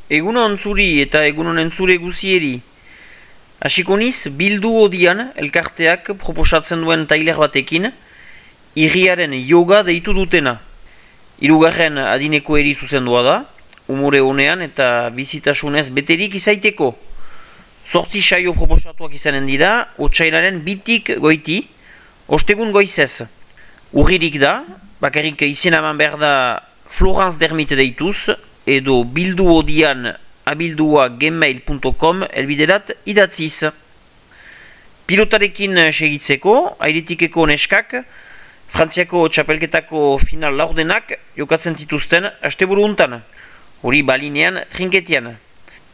Egunon zuri eta egunon entzure guzieri. Hasiko niz, bildu odian elkarteak proposatzen duen tailer batekin, irriaren yoga deitu dutena. Hirugarren adineko eri zuzendua da, umore honean eta bizitasunez beterik izaiteko. 8 saio proposatuak izanen dira, otsailaren 2tik goiti, ostegun goizez. Urririk da, bakarrik izena eman behar da Florence Dermite deituz, edo bilduodian abildua@gmail.com elbiderat idatziz. Pilotarekin segitzeko, Airetikeko neskak, Frantziako txapelketako final laurdenak jokatzen zituzten asteburu untan, hori balinean trinketian.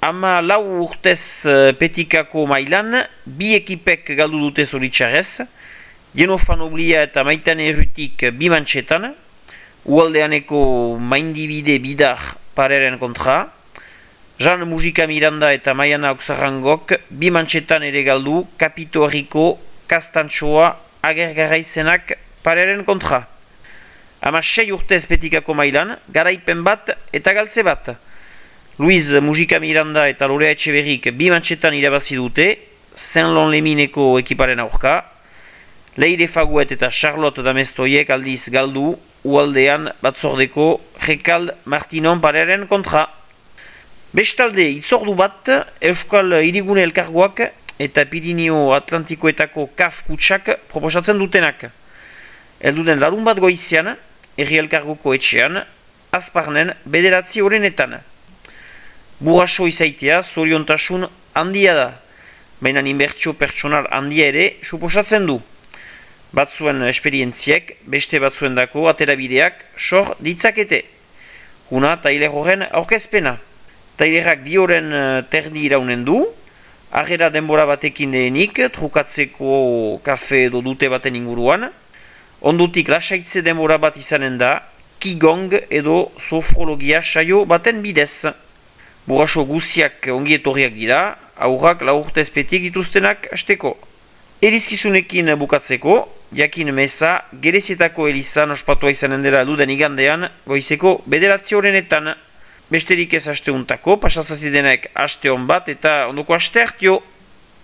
14 urtez petikako mailan, 2 ekipek galdu dute zoritxarrez, Jenofan Oblia eta Maitan Errutik 2 mantxetan, Ualdeaneko Maindibide Bidar pareren kontra, Jean Mujika Miranda eta Maiana Oksarrangok 2 mantxetan ere galdu Kapito Herriko Kastantxoa Agergaraizenak pareren kontra. 16 urtez petikako mailan, garaipen bat eta galtze bat. Luiz Mujika Miranda eta Lorea Etxeberrik 2 mantxetan irabazi dute, Saint-Lon-Lemineko ekiparen aurka, Leire Faguet eta Charlotte Damestoiek aldiz galdu, Ualdean batzordeko Rekald Martinon pareren kontra. Bestalde, itzordu bat, Euskal Hirigune Elkargoak eta Pirineo Atlantikoetako KAF kutsak proposatzen dutenak. Elduden larun bat goizean, Herri Elkargoko etxean, Azparnen 9 horrenetan. Burraso izaitea zoriontasun handia da, baina inbertsio pertsonal handia ere suposatzen du. Batzuen esperientziek, beste batzuendako aterabideak sor ditzakete. Huna tailer horren aurkezpena. Tailerak 2 horen terdi iraunen du, harrera denbora batekin lehenik, trukatzeko kafe edo dute baten inguruan, ondutik lasaitze denbora bat izanen da, Qigong edo sofrologia saio baten bidez. Burraso guziak ongietorriak dira, aurrak 4 urtez petik dituztenak hasteko. Erizkizunekin bukatzeko, jakin meza, Gerezietako elizan ospatua izanen dela duden igandean, goizeko 9 horrenetan. Besterik ez asteuntako, pasazazidenek aste hon bat eta ondoko aste hartio.